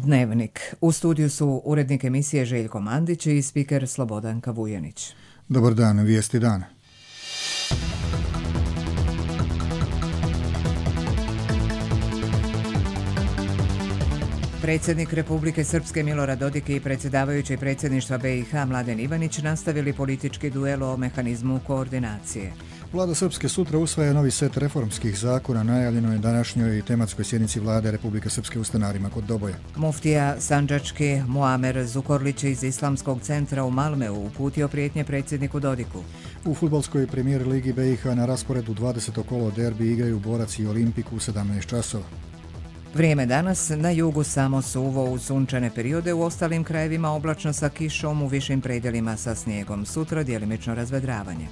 Dnevnik. U studiju su urednik emisije Željko Mandić i spiker Slobodanka Vujanić. Dobar dan, vijesti dana. Predsjednik Republike Srpske Milorad Dodik i predsjedavajući predsjedništva BiH Mladen Ivanić nastavili politički duel o mehanizmu koordinacije. Vlada Srpske sutra usvaja novi set reformskih zakona, najavljeno je današnjoj tematskoj sjednici Vlade Republike Srpske u Stanarima kod Doboja. Muftija Sandžački Muamer Zukorlić iz Islamskog centra u Malmeu uputio prijetnje predsjedniku Dodiku. U fudbalskoj premijer ligi BiH na rasporedu 20. kolo derbi igraju Borac i Olimpik u 17 časova. Vrijeme danas, na jugu samo suvo uz sunčane periode, u ostalim krajevima oblačno sa kišom, u višim predjelima sa snijegom. Sutra djelimično razvedravanje.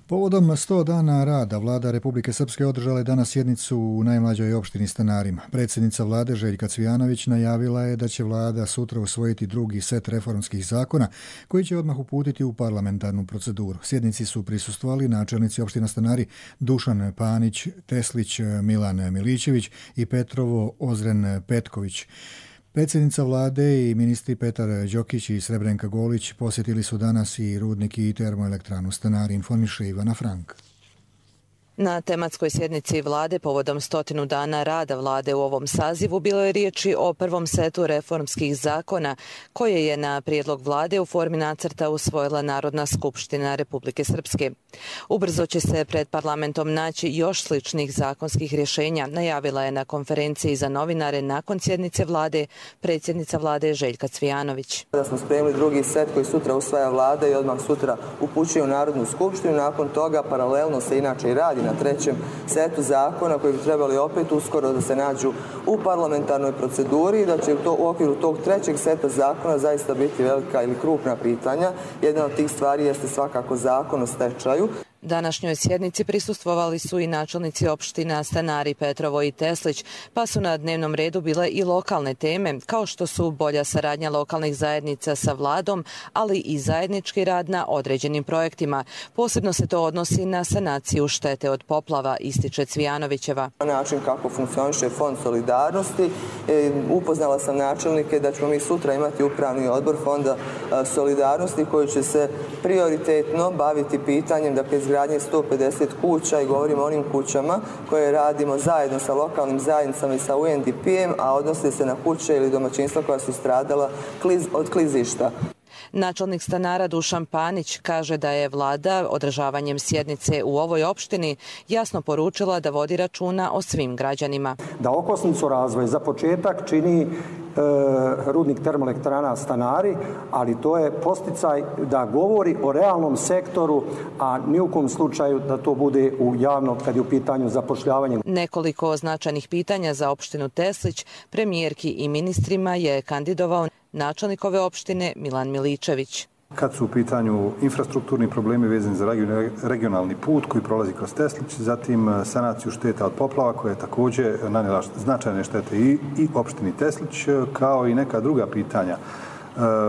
Povodom 100 dana rada Vlada Republike Srpske održala je danas sjednicu u najmlađoj opštini Stanarima. Predsjednica vlade Željka Cvijanović najavila je da će vlada sutra usvojiti drugi set reformskih zakona koji će odmah uputiti u parlamentarnu proceduru. Sjednici su prisustvovali načelnici opština Stanari Dušan Panić, Teslić Milan Miličević i Petrovo Ozren Petković. Predsjednica vlade i ministri Petar Đokić i Srebrenka Golić posjetili su danas i rudnik i termoelektranu Stanari, informiše Ivana Frank. Na tematskoj sjednici vlade povodom 100 dana rada vlade u ovom sazivu bilo je riječi o prvom setu reformskih zakona koje je na prijedlog vlade u formi nacrta usvojila Narodna skupština Republike Srpske. Ubrzo će se pred parlamentom naći još sličnih zakonskih rješenja, najavila je na konferenciji za novinare nakon sjednice vlade predsjednica vlade Željka Cvijanović. Da smo spremili drugi set koji sutra usvaja vlada i odmah sutra upućuje u Narodnu skupštinu. Nakon toga paralelno se inače i radi na trećem setu zakona koji bi trebali opet uskoro da se nađu u parlamentarnoj proceduri i da će u okviru tog trećeg seta zakona zaista biti velika ili krupna pitanja. Jedna od tih stvari jeste svakako zakon o stečaju. Današnjoj sjednici prisustvovali su i načelnici opština Stanari, Petrovo i Teslić, pa su na dnevnom redu bile i lokalne teme, kao što su bolja saradnja lokalnih zajednica sa vladom, ali i zajednički rad na određenim projektima. Posebno se to odnosi na sanaciju štete od poplava, ističe Cvijanovićeva. Način kako funkcioniše Fond solidarnosti, upoznala sam načelnike da ćemo mi sutra imati upravni odbor Fonda solidarnosti koji će se prioritetno baviti pitanjem da izgradnje 150 kuća i govorimo o onim kućama koje radimo zajedno sa lokalnim zajednicama i sa UNDP-em, a odnose se na kuće ili domaćinstva koja su stradala od klizišta. Načelnik Stanara Dušan Panić kaže da je vlada održavanjem sjednice u ovoj opštini jasno poručila da vodi računa o svim građanima. Da okosnicu razvoja za početak čini rudnik termoelektrana Stanari, ali to je posticaj da govori o realnom sektoru, a ni u kom slučaju da to bude u javno kad je u pitanju zapošljavanje. Nekoliko značajnih pitanja za opštinu Teslić premijerki i ministrima je kandidovao načelnik ove opštine Milan Miličević. Kad su u pitanju infrastrukturni problemi vezani za regionalni put koji prolazi kroz Teslić, zatim sanaciju šteta od poplava koja je također nanijela značajne štete i opštini Teslić, kao i neka druga pitanja.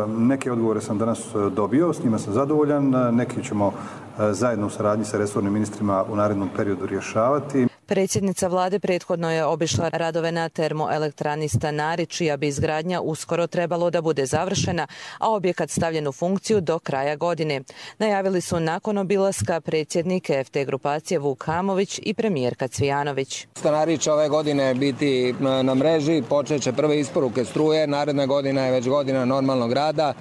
Neke odgovore sam danas dobio, s njima sam zadovoljan, neki ćemo zajedno u saradnji sa resornim ministrima u narednom periodu rješavati. Predsjednica vlade prethodno je obišla radove na termoelektrani Stanari, čija bi izgradnja uskoro trebalo da bude završena, a objekat stavljen u funkciju do kraja godine. Najavili su nakon obilaska predsjednik EFT grupacije Vuk Hamović i premijerka Cvijanović. Stanari će ove godine biti na mreži, počet će prve isporuke struje, naredna godina je već godina normalnog rada.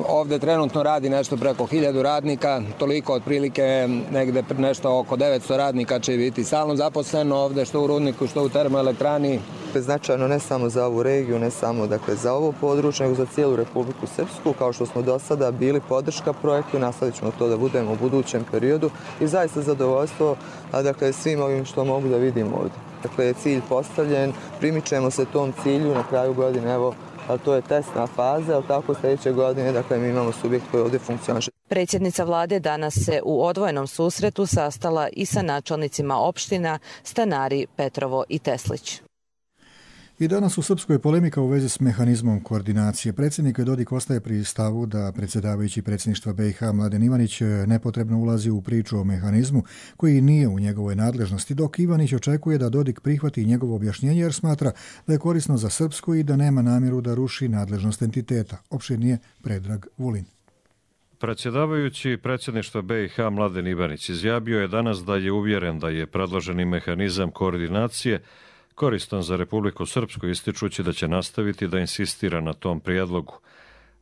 Ovdje trenutno radi nešto preko 1000 radnika, toliko otprilike negde nešto oko 900 radnika će biti stalno zaposleno ovdje, što u rudniku, što u termoelektrani. Značajno ne samo za ovu regiju, ne samo za ovo područje, nego za cijelu Republiku Srpsku, kao što smo do sada bili podrška projektu, nastavit ćemo to da budemo u budućem periodu i zaista zadovoljstvo svim ovim što mogu da vidim ovdje. Dakle, cilj postavljen, primičemo se tom cilju na kraju godine, evo, ali to je testna faza, ali tako sljedeće godine, mi imamo subjekt koji ovdje funkcioniše. Predsjednica vlade danas se u odvojenom susretu sastala i sa načelnicima opština Stanari, Petrovo i Teslić. I danas u Srpskoj polemika u vezi s mehanizmom koordinacije. Predsjednik Dodik ostaje pri stavu da predsjedavajući predsjedništva BiH Mladen Ivanić nepotrebno ulazi u priču o mehanizmu koji nije u njegovoj nadležnosti, dok Ivanić očekuje da Dodik prihvati njegovo objašnjenje jer smatra da je korisno za Srpsku i da nema namjeru da ruši nadležnost entiteta. Opširnije Predrag Vulin. Predsjedavajući predsjedništva BiH Mladen Ivanić izjavio je danas da je uvjeren da je predloženi mehanizam koordinacije koristan za Republiku Srpsku, ističući da će nastaviti da insistira na tom prijedlogu.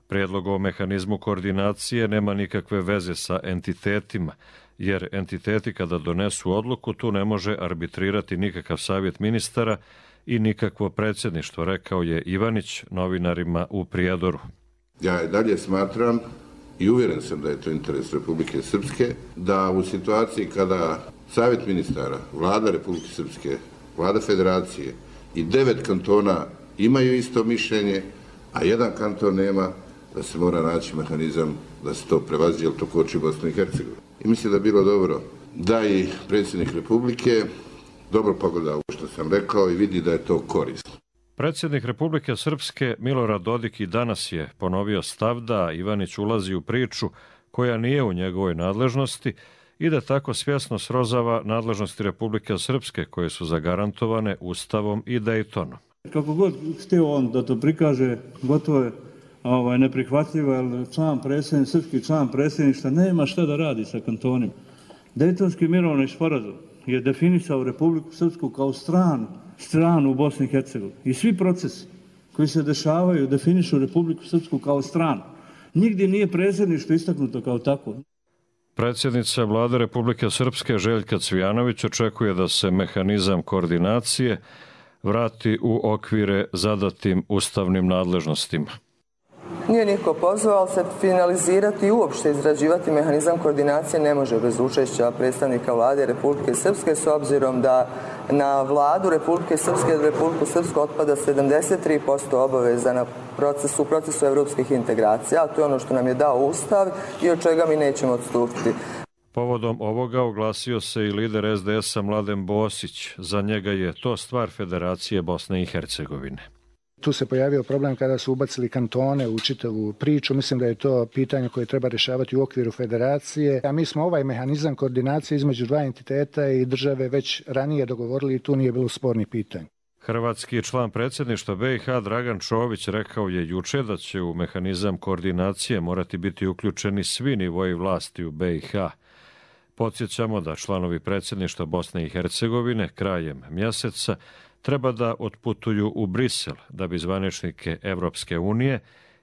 Prijedlog o mehanizmu koordinacije nema nikakve veze sa entitetima, jer entiteti kada donesu odluku tu ne može arbitrirati nikakav savjet ministara i nikakvo predsjedništvo, rekao je Ivanić novinarima u Prijedoru. Ja dalje smatram i uvjeren sam da je to interes Republike Srpske, da u situaciji kada savjet ministara, vlada Republike Srpske, vlada federacije i 9 kantona imaju isto mišljenje, a jedan kanton nema, da se mora naći mehanizam da se to prevazi, jer to koči Bosnu i Hercegovinu. I mislim da je bilo dobro da i predsjednik Republike dobro pogleda ovo što sam rekao i vidi da je to korisno. Predsjednik Republike Srpske Milorad Dodik i danas je ponovio stav da Ivanić ulazi u priču koja nije u njegovoj nadležnosti i da tako svjesno srozava nadležnosti Republike Srpske koje su zagarantovane Ustavom i Daytonom. Kako god htio on da to prikaže, gotovo je neprihvatljivo, jer srpski član predsjedništva nema šta da radi sa kantonima. Dejtonski mirovni sporazum je definisao Republiku Srpsku kao stranu u Bosni i Hercegovini. I svi procesi koji se dešavaju definišu Republiku Srpsku kao stranu. Nigdje nije predsjedništvo istaknuto kao tako. Predsjednica Vlade Republike Srpske Željka Cvijanović očekuje da se mehanizam koordinacije vrati u okvire zadatim ustavnim nadležnostima. Nije niko pozvao, ali se finalizirati i uopšte izrađivati mehanizam koordinacije ne može bez učešća predstavnika Vlade Republike Srpske, s obzirom da na Vladu Republike Srpske i Republiku Srpsku otpada 73% obaveza u procesu evropskih integracija, a to je ono što nam je dao Ustav i od čega mi nećemo odstupiti. Povodom ovoga oglasio se i lider SDS-a Mladen Bosić. Za njega je to stvar Federacije Bosne i Hercegovine. Tu se pojavio problem kada su ubacili kantone u čitavu priču. Mislim da je to pitanje koje treba rješavati u okviru federacije. A mi smo ovaj mehanizam koordinacije između dva entiteta i države već ranije dogovorili i tu nije bilo spornih pitanja. Hrvatski član predsjedništva BiH Dragan Čović rekao je juče da će u mehanizam koordinacije morati biti uključeni svi nivoji vlasti u BiH. Podsjećamo da članovi predsjedništva Bosne i Hercegovine krajem mjeseca treba da otputuju u Brisel da bi zvaničnike Evropske unije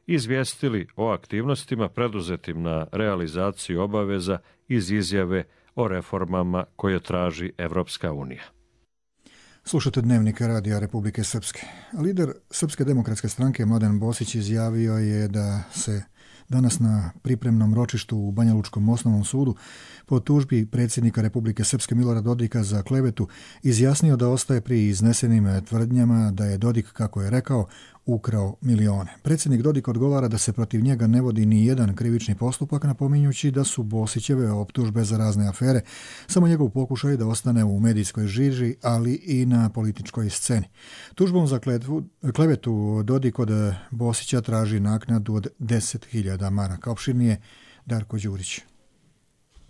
izvijestili o aktivnostima preduzetim na realizaciju obaveza iz izjave o reformama koje traži Evropska unija. Slušate Dnevnik Radija Republike Srpske. Lider Srpske demokratske stranke Mladen Bosić izjavio je da se danas na pripremnom ročištu u Banja Lučkom osnovnom sudu po tužbi predsjednika Republike Srpske Milorada Dodika za klevetu izjasnio da ostaje pri iznesenim tvrdnjama da je Dodik, kako je rekao, ukrao milione. Predsjednik Dodik odgovara da se protiv njega ne vodi ni jedan krivični postupak, napominjući da su Bosićeve optužbe za razne afere samo njegov pokušaj da ostane u medijskoj žiži, ali i na političkoj sceni. Tužbom za klevetu Dodik od Bosića traži naknadu od 10.000 maraka. Opširnije Darko Đurić.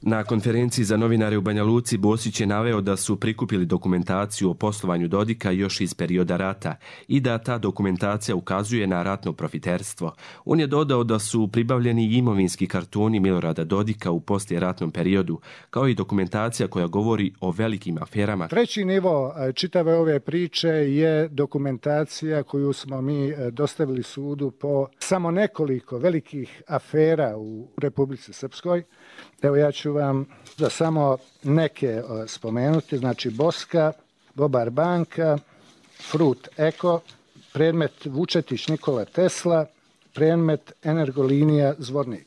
Na konferenciji za novinare u Banja Luci Bosić je naveo da su prikupili dokumentaciju o poslovanju Dodika još iz perioda rata i da ta dokumentacija ukazuje na ratno profiterstvo. On je dodao da su pribavljeni imovinski kartoni Milorada Dodika u poslijeratnom periodu, kao i dokumentacija koja govori o velikim aferama. Treći nivo čitave ove priče je dokumentacija koju smo mi dostavili sudu po samo nekoliko velikih afera u Republici Srpskoj. Evo ja ću vam da samo neke spomenuti, znači Boska, Bobar banka, Frut Eko, predmet Vučetić Nikola Tesla, predmet Energolinija Zvornik.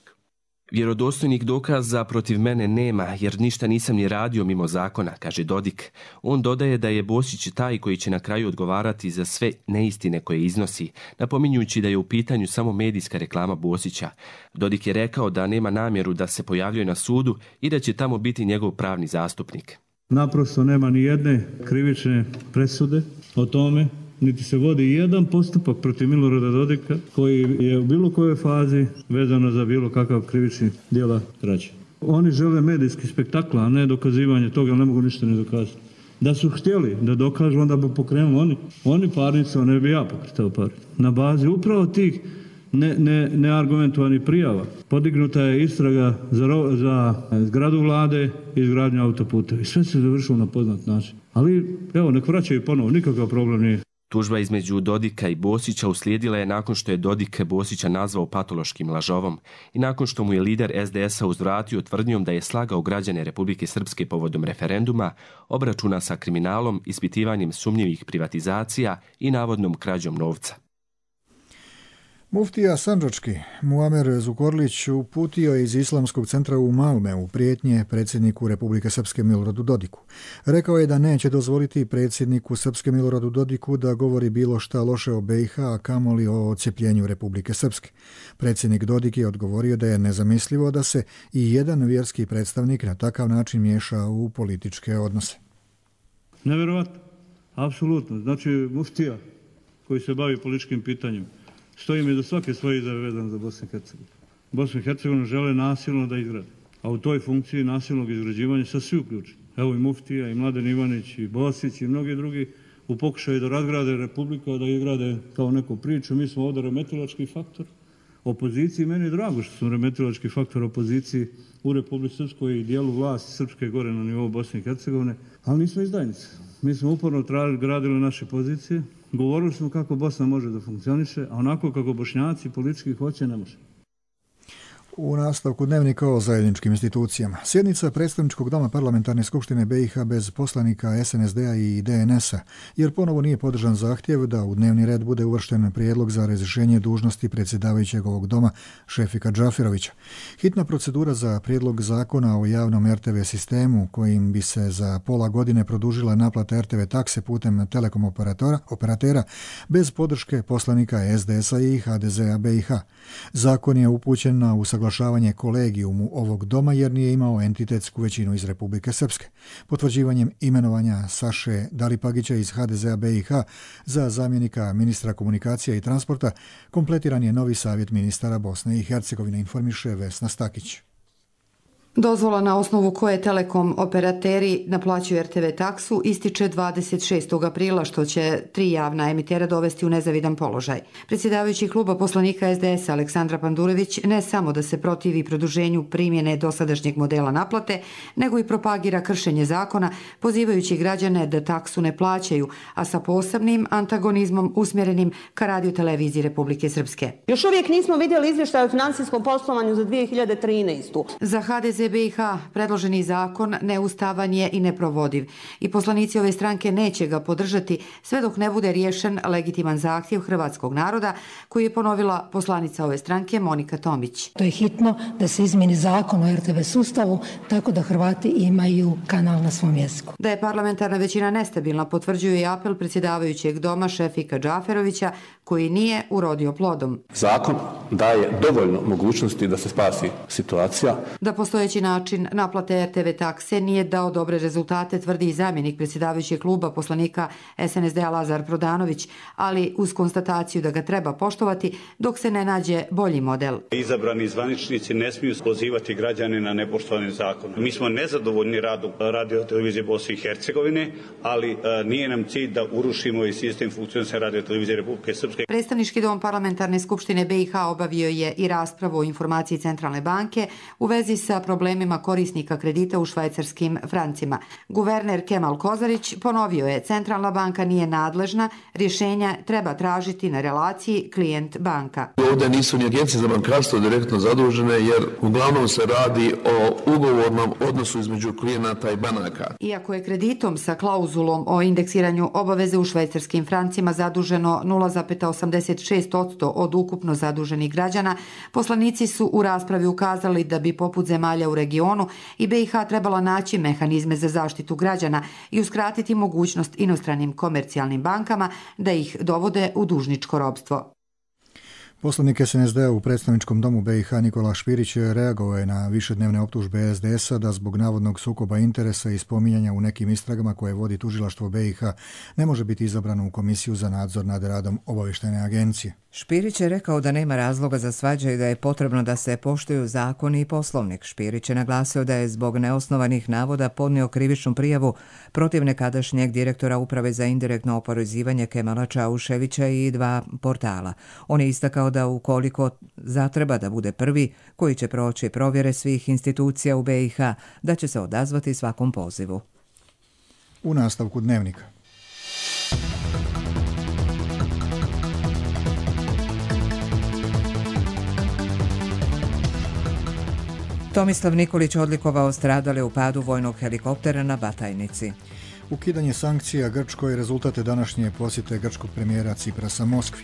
Vjerodostojnih dokaza protiv mene nema, jer ništa nisam ni radio mimo zakona, kaže Dodik. On dodaje da je Bosić taj koji će na kraju odgovarati za sve neistine koje iznosi, napominjući da je u pitanju samo medijska reklama Bosića. Dodik je rekao da nema namjeru da se pojavljuje na sudu i da će tamo biti njegov pravni zastupnik. Naprosto nema ni jedne krivične presude o tome niti se vodi jedan postupak protiv Milorada Dodika koji je u bilo kojoj fazi vezano za bilo kakav krivični djela krađe. Oni žele medijski spektakl, a ne dokazivanje toga, ne mogu ništa ne dokazati. Da su htjeli da dokažu, onda bi pokrenuli oni parnicu, a ne bi ja pokretao parnicu. Na bazi upravo tih neargumentovanih prijava podignuta je istraga za zgradu vlade i izgradnju autoputa. I sve se završilo na poznat način. Ali evo, nek vraćaju ponovo, nikakav problem nije. Tužba između Dodika i Bosića uslijedila je nakon što je Dodik Bosića nazvao patološkim lažovom i nakon što mu je lider SDS-a uzvratio tvrdnjom da je slagao građane Republike Srpske povodom referenduma, obračuna sa kriminalom, ispitivanjem sumnjivih privatizacija i navodnom krađom novca. Muftija sandžački Muamer Zukorlić uputio je iz Islamskog centra u Malmeu prijetnje predsjedniku Republike Srpske Miloradu Dodiku. Rekao je da neće dozvoliti predsjedniku Srpske Miloradu Dodiku da govori bilo šta loše o BiH, a kamoli o odcepljenju Republike Srpske. Predsjednik Dodik je odgovorio da je nezamislivo da se i jedan vjerski predstavnik na takav način miješa u političke odnose. Nevjerovatno, apsolutno. Znači muftija koji se bavi političkim pitanjem stoji mi do svake svoje izjave vezane za Bosnu i Hercegovinu. Bosnu i Hercegovinu žele nasilno da izgrade, a u toj funkciji nasilnog izgrađivanja sa svi uključeni. Evo i muftija, i Mladen Ivanić, i Bosić, i mnogi drugi u pokušaju da razgrade Republiku, da izgrade kao neku priču. Mi smo ovdje remetilački faktor opoziciji. Meni je drago što smo remetilački faktor opoziciji u Republici Srpskoj i dijelu vlasti Srpske gore na nivou Bosne i Hercegovine, ali nismo izdajnici. Mi smo uporno gradili naše pozicije. Govorili smo kako Bosna može da funkcioniše, a onako kako Bošnjaci politički hoće, ne može. U nastavku dnevnika o zajedničkim institucijama. Sjednica predstavničkog doma parlamentarne skupštine BiH bez poslanika SNSD-a i DNS-a, jer ponovo nije podržan zahtjev da u dnevni red bude uvršten prijedlog za razrješenje dužnosti predsjedavajućeg ovog doma Šefika Džaferovića. Hitna procedura za prijedlog zakona o javnom RTV sistemu, kojim bi se za pola godine produžila naplata RTV takse putem telekom operatera bez podrške poslanika SDS-a i HDZ-a BiH. Zakon je upućen na usaglašavanje kolegijumu ovog doma jer nije imao entitetsku većinu iz Republike Srpske. Potvrđivanjem imenovanja Saše Dalipagića iz HDZ-a BiH za zamjenika ministra komunikacija i transporta kompletiran je novi savjet ministara Bosne i Hercegovine, informiše Vesna Stakić. Dozvola na osnovu koje telekom operateri naplaćuju RTV taksu ističe 26. aprila, što će 3 javna emitera dovesti u nezavidan položaj. Predsjedavajući kluba poslanika SDS Aleksandra Pandurević ne samo da se protivi produženju primjene dosadašnjeg modela naplate, nego i propagira kršenje zakona, pozivajući građane da taksu ne plaćaju, a sa posebnim antagonizmom usmjerenim ka radioteleviziji Republike Srpske. Još uvijek nismo vidjeli izvještaj o financijskom poslovanju za 2013. Za HDZ BiH predloženi zakon neustavan je i neprovodiv i poslanici ove stranke neće ga podržati sve dok ne bude riješen legitiman zahtjev hrvatskog naroda koji je ponovila poslanica ove stranke Monika Tomić. To je hitno da se izmijeni zakon o RTV sustavu tako da Hrvati imaju kanal na svom jeziku. Da je parlamentarna većina nestabilna potvrđuje i apel predsjedavajućeg doma Šefika Džaferovića koji nije urodio plodom. Zakon daje dovoljno mogućnosti da se spasi situacija. Da postojeći način naplate RTV takse nije dao dobre rezultate, tvrdi i zamjenik predsjedavajućeg kluba poslanika SNSD-a Lazar Prodanović, ali uz konstataciju da ga treba poštovati dok se ne nađe bolji model. Izabrani zvaničnici ne smiju pozivati građane na nepoštovanje zakona. Mi smo nezadovoljni radom radiotelevizije Bosne i Hercegovine, ali nije nam cilj da urušimo i sistem funkcionisanja radiotelevizije Republike Srpske. Predstavnički dom parlamentarne skupštine BiH obavio je i raspravu o informaciji Centralne banke u vezi sa problemima korisnika kredita u švajcarskim francima. Guverner Kemal Kozarić ponovio je Centralna banka nije nadležna, rješenja treba tražiti na relaciji klijent banka. Ovdje nisu ni agencije za bankarstvo direktno zadužene jer uglavnom se radi o ugovornom odnosu između klijenata i banaka. Iako je kreditom sa klauzulom o indeksiranju obaveze u švajcarskim francima zaduženo 0,86% od ukupno zaduženih građana, poslanici su u raspravi ukazali da bi poput zemalja u regionu i BiH trebala naći mehanizme za zaštitu građana i uskratiti mogućnost inostranim komercijalnim bankama da ih dovode u dužničko ropstvo. Poslanik SNSD-a u predstavničkom domu BiH Nikola Špirić reagovao je na višednevne optužbe SDS-a da zbog navodnog sukoba interesa i spominjanja u nekim istragama koje vodi tužilaštvo BiH ne može biti izabrano u Komisiju za nadzor nad radom obavještajne agencije. Špirić je rekao da nema razloga za svađe i da je potrebno da se poštuju zakoni i poslovnik. Špirić je naglasio da je zbog neosnovanih navoda podnio krivičnu prijavu protiv nekadašnjeg direktora Uprave za indirektno oporezivanje Kemala Čauševića i 2 portala. On je istakao da ukoliko zatreba da bude prvi koji će proći provjere svih institucija u BiH, da će se odazvati svakom pozivu. U nastavku dnevnika. Tomislav Nikolić odlikovao stradale u padu vojnog helikoptera na Batajnici. Ukidanje sankcija Grčkoj rezultate današnje posjete grčkog premijera Ciprasa Moskvi.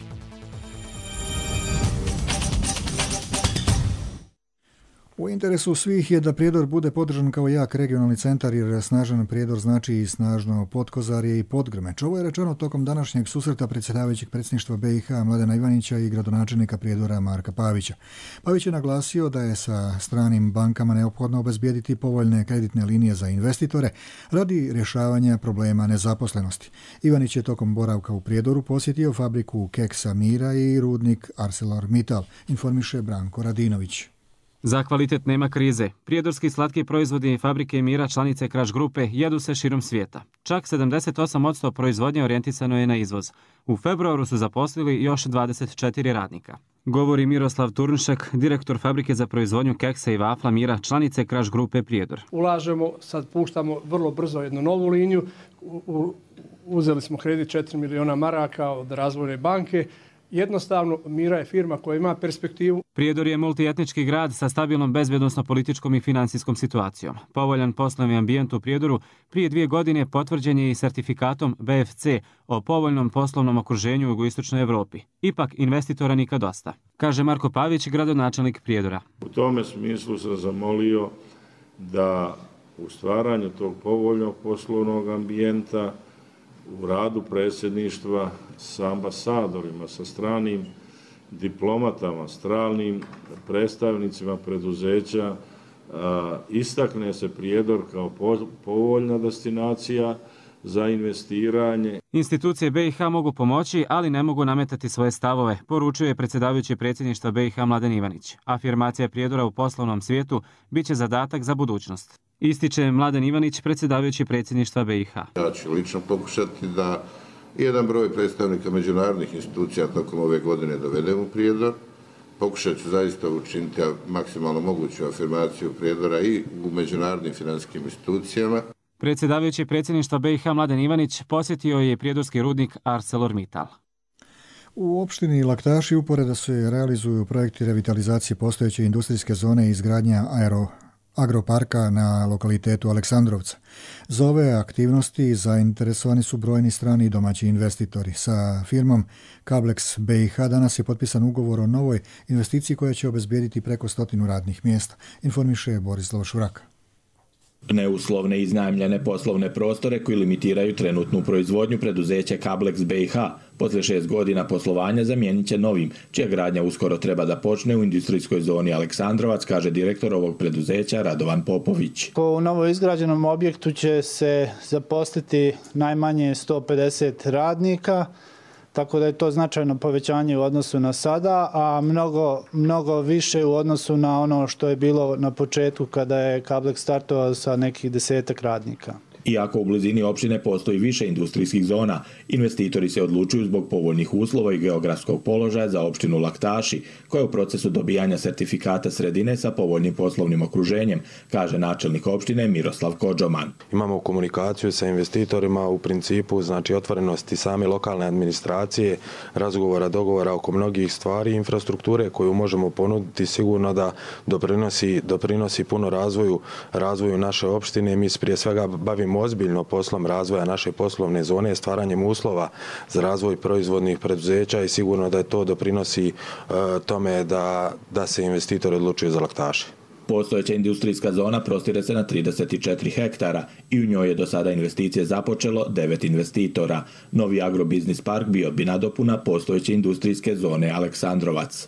U interesu svih je da Prijedor bude podržan kao jak regionalni centar, jer snažan Prijedor znači i snažno Potkozarje i Podgrmeć. Ovo je rečeno tokom današnjeg susreta predsjedavajućeg predsjedništva BiH Mladena Ivanića i gradonačelnika Prijedora Marka Pavića. Pavić je naglasio da je sa stranim bankama neophodno obezbijediti povoljne kreditne linije za investitore radi rješavanja problema nezaposlenosti. Ivanić je tokom boravka u Prijedoru posjetio fabriku keksa Mira i rudnik ArcelorMittal, informiše Branko Radinović. Za kvalitet nema krize. Prijedorski slatki proizvodi fabrike Mira, članice Kraš grupe, jedu se širom svijeta. Čak 78% proizvodnje orijentisano je na izvoz. U februaru su zaposlili još 24 radnika. Govori Miroslav Turnšek, direktor fabrike za proizvodnju keksa i vafla Mira, članice Kraš grupe Prijedor. Ulažemo, sad puštamo vrlo brzo jednu novu liniju. Uzeli smo kredit 4 miliona maraka od Razvojne banke. Jednostavno, Mira je firma koja ima perspektivu. Prijedor je multietnički grad sa stabilnom bezbjednosno-političkom i financijskom situacijom. Povoljan poslovni ambijent u Prijedoru prije 2 godine potvrđen je i sertifikatom BFC o povoljnom poslovnom okruženju u jugoistočnoj Evropi. Ipak investitora nikad dosta, kaže Marko Pavić, gradonačelnik Prijedora. U tome smislu sam zamolio da u stvaranju tog povoljnog poslovnog ambijenta u radu predsjedništva sa ambasadorima, sa stranim diplomatama, stranim predstavnicima preduzeća istakne se Prijedor kao povoljna destinacija za investiranje. Institucije BiH mogu pomoći, ali ne mogu nametati svoje stavove, poručuje predsjedavajući predsjedništva BiH Mladen Ivanić. Afirmacija Prijedora u poslovnom svijetu biće zadatak za budućnost. Ističe Mladen Ivanić, predsjedavajući predsjedništva BiH. Ja ću lično pokušati da jedan broj predstavnika međunarodnih institucija tokom ove godine dovedem u Prijedor. Pokušat ću zaista učiniti maksimalno moguću afirmaciju Prijedora i u međunarodnim financijskim institucijama. Predsjedavajući predsjedništva BiH Mladen Ivanić posjetio je prijedorski rudnik ArcelorMittal. U opštini Laktaši uporedo se realizuju projekti revitalizacije postojeće industrijske zone i izgradnja agroparka na lokalitetu Aleksandrovca. Za ove aktivnosti zainteresovani su brojni strani i domaći investitori. Sa firmom Kablex BiH danas je potpisan ugovor o novoj investiciji koja će obezbijediti preko 100 radnih mjesta, informiše Borislav Šuraka. Neuslovne iznajmljene poslovne prostore koji limitiraju trenutnu proizvodnju preduzeća Kablex BiH posle 6 godina poslovanja zamijenit će novim, čija gradnja uskoro treba da počne u industrijskoj zoni Aleksandrovac, kaže direktor ovog preduzeća Radovan Popović. U novo izgrađenom objektu će se zaposliti najmanje 150 radnika, tako da je to značajno povećanje u odnosu na sada, a mnogo više u odnosu na ono što je bilo na početku kada je Kablex startovao sa nekih 10 radnika. Iako u blizini opštine postoji više industrijskih zona, investitori se odlučuju zbog povoljnih uslova i geografskog položaja za opštinu Laktaši, koja je u procesu dobijanja sertifikata sredine sa povoljnim poslovnim okruženjem, kaže načelnik opštine Miroslav Kodžoman. Imamo komunikaciju sa investitorima u principu, znači otvorenosti same lokalne administracije, razgovora, dogovora oko mnogih stvari, infrastrukture koju možemo ponuditi sigurno da doprinosi puno razvoju naše opštine. Mi prije svega bavimo ozbiljno poslom razvoja naše poslovne zone, stvaranjem uslova za razvoj proizvodnih preduzeća i sigurno da je to doprinosi tome da se investitori odlučuju za Laktaše. Postojeća industrijska zona prostire se na 34 hektara i u njoj je do sada investicije započelo 9 investitora. Novi agrobiznis park bio bi nadopuna postojeće industrijske zone Aleksandrovac.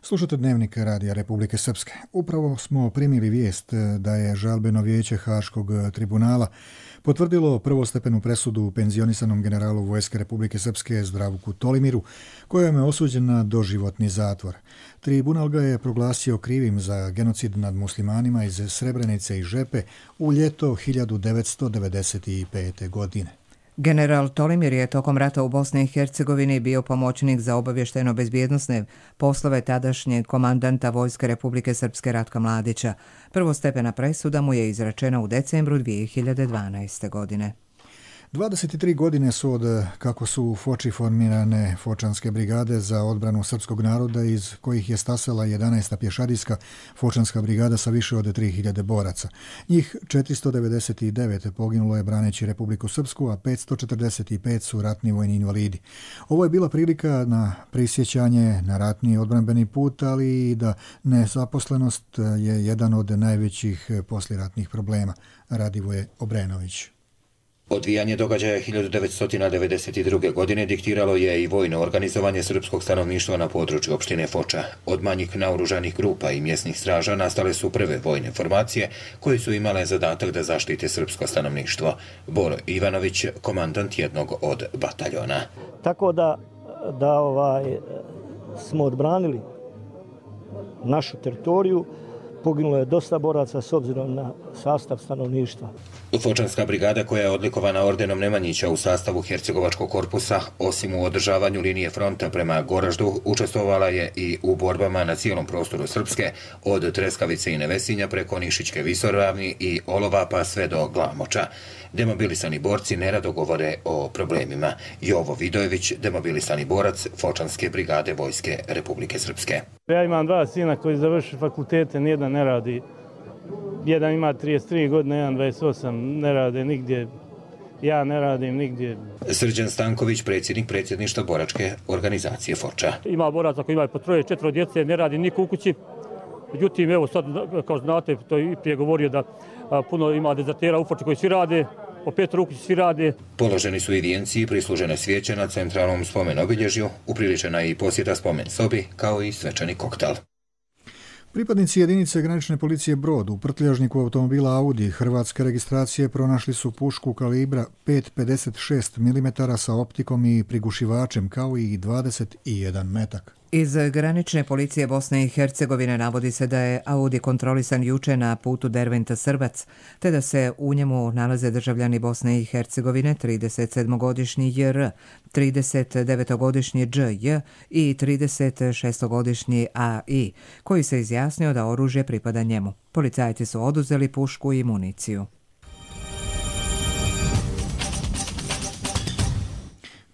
Slušate Dnevnik Radija Republike Srpske. Upravo smo primili vijest da je žalbeno vijeće Haškog tribunala potvrdilo prvostepenu presudu penzionisanom generalu Vojske Republike Srpske Zdravku Tolimiru, kojom je osuđen na doživotni zatvor. Tribunal ga je proglasio krivim za genocid nad muslimanima iz Srebrenice i Žepe u ljeto 1995. godine. General Tolimir je tokom rata u Bosni i Hercegovini bio pomoćnik za obavještajno-bezbjednosne poslove tadašnjeg komandanta Vojske Republike Srpske Ratka Mladića. Prvostepena presuda mu je izrečena u decembru 2012. godine. 23 godine su od kako su u Foči formirane Fočanske brigade za odbranu srpskog naroda, iz kojih je stasala 11. pješadijska Fočanska brigada sa više od 3000 boraca. Njih 499 poginulo je braneći Republiku Srpsku, a 545 su ratni vojni invalidi. Ovo je bila prilika na prisjećanje na ratni odbranbeni put, ali i da nezaposlenost je jedan od najvećih poslijeratnih problema. Radivoje Obrenović. Odvijanje događaja 1992. godine diktiralo je i vojno organizovanje srpskog stanovništva na području opštine Foča. Od manjih naoružanih grupa i mjesnih straža nastale su prve vojne formacije koje su imale zadatak da zaštite srpsko stanovništvo. Boro Ivanović, komandant jednog od bataljona. Tako da smo odbranili našu teritoriju. Poginulo je dosta boraca s obzirom na sastav stanovništva. Fočanska brigada, koja je odlikovana ordenom Nemanjića u sastavu Hercegovačkog korpusa, osim u održavanju linije fronta prema Goraždu, učestvovala je i u borbama na cijelom prostoru Srpske, od Treskavice i Nevesinja preko Nišićke visoravni i Olova pa sve do Glamoča. Demobilisani borci nerado govore o problemima. Jovo Vidojević, demobilisani borac Fočanske brigade Vojske Republike Srpske. Ja imam 2 sina koji završi fakultete, nijedan ne radi. Jedan ima 33 godine, jedan 28, ne rade nigdje. Ja ne radim nigdje. Srđan Stanković, predsjedništva boračke organizacije Foča. Ima boraca koji imaju po 3-4 djece, ne radi niko u kući. Međutim, evo sad, kao znate, to je i prije govorio da puno ima dezertera u Foči koji svi rade, po 5 ruku svi rade. Položeni su i vijenci i prislužene svijeće na centralnom spomen obilježju, upriličena je i posjeta spomen sobi, kao i svečani koktel. Pripadnici jedinice granične policije Brod u prtljažniku automobila Audi hrvatske registracije pronašli su pušku kalibra 5,56 mm sa optikom i prigušivačem, kao i 21 metak. Iz granične policije Bosne i Hercegovine navodi se da je Audi kontrolisan juče na putu Derventa-Srbac, te da se u njemu nalaze državljani Bosne i Hercegovine 37-godišnji JR, 39-godišnji DJ i 36-godišnji AI, koji se izjasnio da oružje pripada njemu. Policajci su oduzeli pušku i municiju.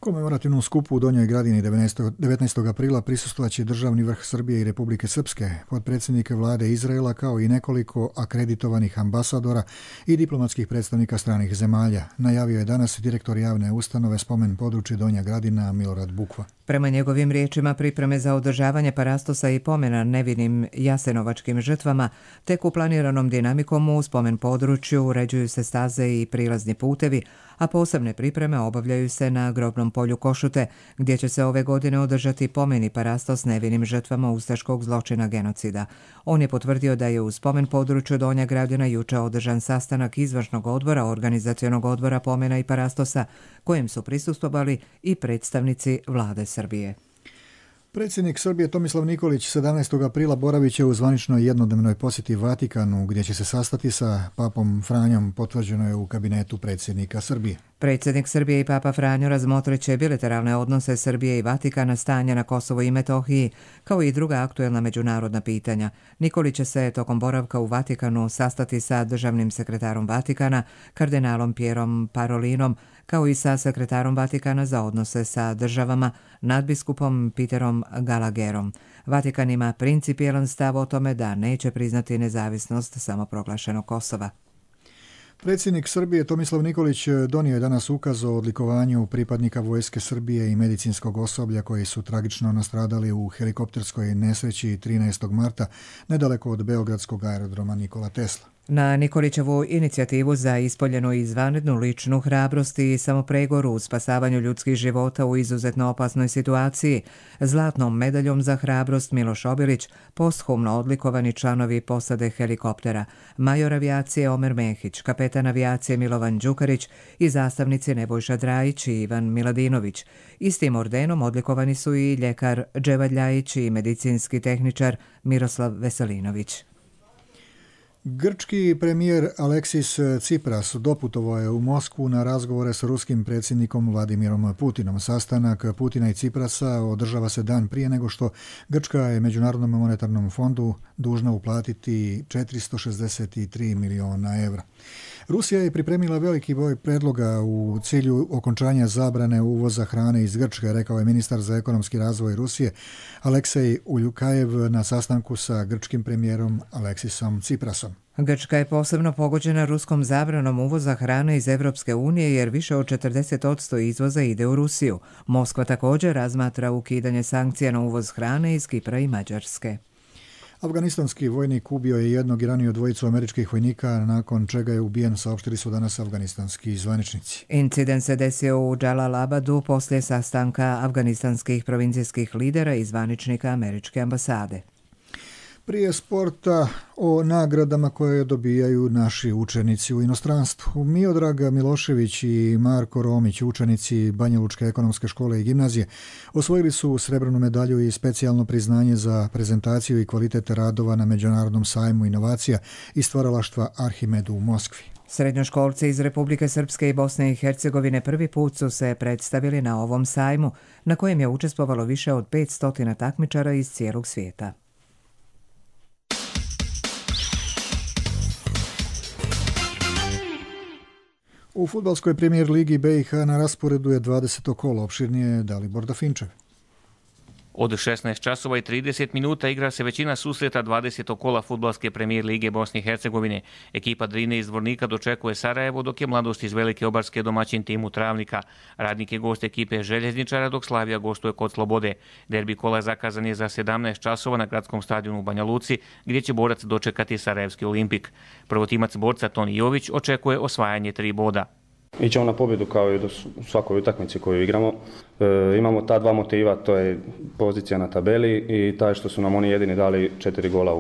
Komemorativnom skupu u Donjoj Gradini 19. aprila prisustvovaće državni vrh Srbije i Republike Srpske, potpredsjednik vlade Izraela, kao i nekoliko akreditovanih ambasadora i diplomatskih predstavnika stranih zemalja, najavio je danas direktor javne ustanove Spomen područje Donja Gradina Milorad Bukva. Prema njegovim riječima, pripreme za održavanje parastosa i pomena nevinim jasenovačkim žrtvama tek u planiranom dinamikom u spomen području uređuju se staze i prilazni putevi, a posebne pripreme obavljaju se na grobnom polju Košute, gdje će se ove godine održati pomen i parastos nevinim žrtvama ustaškog zločina genocida. On je potvrdio da je u spomen području Donja Gradina juče održan sastanak izvršnog odbora organizacionog odbora pomena i parastosa, kojem su prisustvovali i predstavnici vlade Srbije. Predsjednik Srbije Tomislav Nikolić 17. aprila boravit će u zvaničnoj jednodnevnoj posjeti Vatikanu, gdje će se sastati sa papom Franjom, potvrđeno je u kabinetu predsjednika Srbije. Predsjednik Srbije i papa Franjo razmotrit će bilateralne odnose Srbije i Vatikana, stanja na Kosovu i Metohiji, kao i druga aktuelna međunarodna pitanja. Nikolić će se tokom boravka u Vatikanu sastati sa državnim sekretarom Vatikana, kardinalom Pierom Parolinom, kao i sa sekretarom Vatikana za odnose sa državama, nadbiskupom Peterom Gallagherom. Vatikan ima principijelan stav o tome da neće priznati nezavisnost samoproglašenog Kosova. Predsjednik Srbije Tomislav Nikolić donio je danas ukaz o odlikovanju pripadnika vojske Srbije i medicinskog osoblja koji su tragično nastradali u helikopterskoj nesreći 13. marta nedaleko od beogradskog aerodroma Nikola Tesla. Na Nikolićevu inicijativu za ispoljenu i izvanrednu ličnu hrabrost i samopregoru u spasavanju ljudskih života u izuzetno opasnoj situaciji, zlatnom medaljom za hrabrost Miloš Obilić, posthumno odlikovani članovi posade helikoptera, major avijacije Omer Mehić, kapetan avijacije Milovan Đukarić i zastavnici Nebojša Drajić i Ivan Miladinović. Istim ordenom odlikovani su i ljekar Dževad Ljajić i medicinski tehničar Miroslav Veselinović. Grčki premijer Aleksis Tsipras doputovao je u Moskvu na razgovore s ruskim predsjednikom Vladimirom Putinom. Sastanak Putina i Tsiprasa održava se dan prije nego što Grčka je Međunarodnom monetarnom fondu dužna uplatiti 463 miliona evra. Rusija je pripremila veliki broj predloga u cilju okončanja zabrane uvoza hrane iz Grčke, rekao je ministar za ekonomski razvoj Rusije Aleksej Uljukajev na sastanku sa grčkim premijerom Aleksisom Tsiprasom. Grčka je posebno pogođena ruskom zabranom uvoza hrane iz Evropske unije jer više od 40% izvoza ide u Rusiju. Moskva također razmatra ukidanje sankcija na uvoz hrane iz Kipra i Mađarske. Afganistanski vojnik ubio je jednog i ranio dvojicu američkih vojnika, nakon čega je ubijen, saopštili su danas afganistanski zvaničnici. Incident se desio u Džalalabadu poslije sastanka afganistanskih provincijskih lidera i zvaničnika američke ambasade. Prije sporta o nagradama koje dobijaju naši učenici u inostranstvu. Miodrag Milošević i Marko Romić, učenici Banjalučke ekonomske škole i gimnazije, osvojili su srebrnu medalju i specijalno priznanje za prezentaciju i kvalitet radova na Međunarodnom sajmu inovacija i stvaralaštva Arhimedu u Moskvi. Srednjoškolci iz Republike Srpske i Bosne i Hercegovine prvi put su se predstavili na ovom sajmu, na kojem je učestvovalo više od 500 takmičara iz cijelog svijeta. U fudbalskoj premijer ligi BiH na rasporedu je 20. kolo, opširnije Dalibor Dafinčev. Od 16 časova i 30 minuta igra se većina susreta 20. kola fudbalske premijer lige Bosne i Hercegovine. Ekipa Drine iz Dvornika dočekuje Sarajevo, dok je Mladost iz Velike Obarske domaćin timu Travnika. Radnik je gost ekipe Željezničara, dok Slavija gostuje kod Slobode. Derbi kola zakazan je za 17 časova na gradskom stadionu u Banja Luci, gdje će borac dočekati Sarajevski Olimpik. Prvotimac borca Toni Jović očekuje osvajanje 3 boda. Ićemo na pobjedu kao i u svakoj utakmici koju igramo. Imamo ta dva motiva, to je pozicija na tabeli i taj što su nam oni jedini dali 4 gola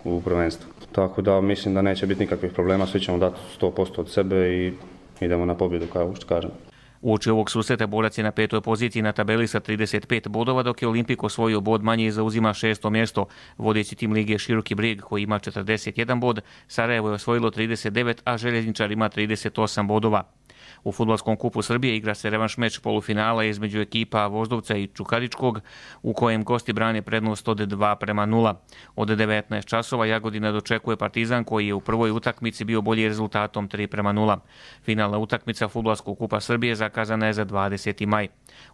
u prvenstvu. Tako da mislim da neće biti nikakvih problema, svi ćemo dati 100% od sebe i idemo na pobjedu kao što kažem. Uoči ovog susreta borac je na 5. poziciji na tabeli sa 35 bodova, dok je Olimpik osvojio bod manje i zauzima 6. mjesto. Vodeći tim lige Široki Brijeg koji ima 41 bod, Sarajevo je osvojilo 39, a Željezničar ima 38 bodova. U fudbalskom kupu Srbije igra se revanš meč polufinala između ekipa Voždovca i Čukaričkog, u kojem gosti brane prednost od 2:0. Od 19 časova Jagodina dočekuje Partizan koji je u prvoj utakmici bio bolji rezultatom 3:0. Finalna utakmica fudbalskog kupa Srbije zakazana je za 20. maj.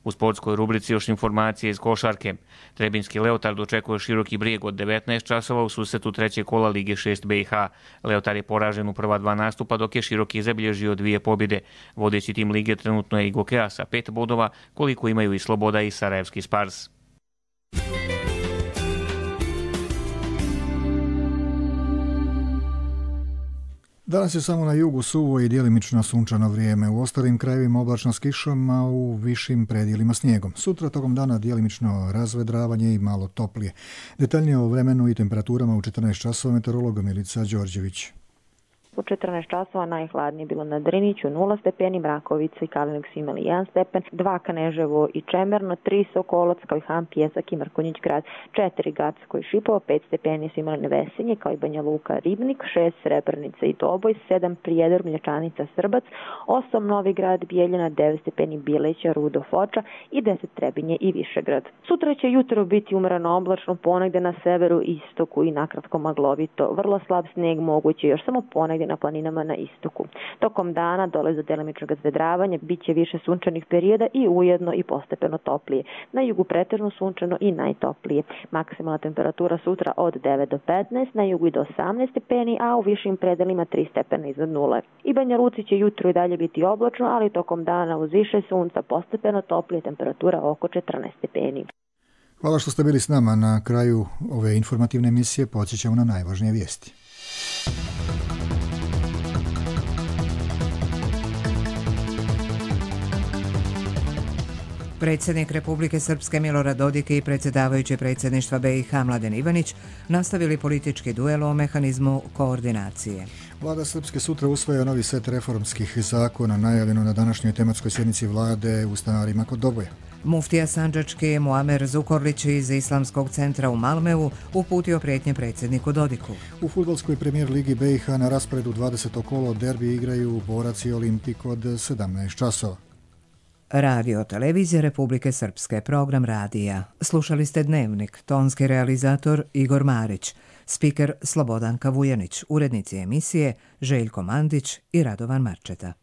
U sportskoj rubrici još informacije iz košarke. Trebinski Leotar dočekuje Široki Brijeg od 19 časova u susretu 3. kola Lige 6 BiH. Leotar je poražen u prva 2 nastupa, dok je Široki zabilježio 2 pobjede. Vodeći tim lige trenutno je i Gokea sa 5 bodova, koliko imaju i Sloboda i Sarajevski Spars. Danas je samo na jugu suvo i djelimično sunčano vrijeme. U ostalim krajevima oblačno s kišom, a u višim predjelima snijegom. Sutra tokom dana djelimično razvedravanje i malo toplije. Detaljnije o vremenu i temperaturama u 14 časova meteorolog Milica Đorđević. U 14 časova najhladnije bilo na Driniću 0 stepeni, Mrakovica i Kalinić su imali 1 stepen, 2 Kneževo i Čemerno, 3 Sokolac kao i Han, Pjesak i Mrkonjić grad, 4 Gacko i Šipovo, 5 stepeni su imali Nevesinje kao i Banja Luka, Ribnik, 6 Srebrenica i Doboj, 7 Prijedor, Mlječanica, Srbac, 8 Novi grad, Bijeljina, 9 stepeni Bileća, Rudo, Foča i 10 Trebinje i Višegrad. Sutra će jutro biti umrano oblačno, ponegde na severu, istoku i nakratko maglovito. Vrlo slab snijeg moguće još samo ponegde na planinama na istoku. Tokom dana dolazi do delimičnog zvedravanja, bit će više sunčanih perioda i ujedno i postepeno toplije. Na jugu pretežno sunčano i najtoplije. Maksimalna temperatura sutra od 9 do 15, na jugu i do 18 stepeni, a u višim predelima 3 stepena iznad nule. I Banja Luci će jutro i dalje biti oblačno, ali tokom dana uz više sunca postepeno toplije, temperatura oko 14 stepeni. Hvala što ste bili s nama. Na kraju ove informativne emisije podsjećamo na najvažnije vijesti. Predsjednik Republike Srpske Milorad Dodik i predsjedavajući predsjedništva BiH Mladen Ivanić nastavili politički duel o mehanizmu koordinacije. Vlada Srpske sutra usvaja novi set reformskih zakona najavljeno na današnjoj tematskoj sjednici vlade u stanarima kod Doboja. Muftija Sandžački Muamer Zukorlić iz Islamskog centra u Malmeu uputio prijetnje predsjedniku Dodiku. U fudbalskoj premijer ligi BiH na rasporedu 20. kolo derbi igraju Borac i Olimpik od 17 časova. Radio Televizija Republike Srpske, program radija. Slušali ste Dnevnik, tonski realizator Igor Marić, spiker Slobodanka Vujanić, urednici emisije Željko Mandić i Radovan Marčeta.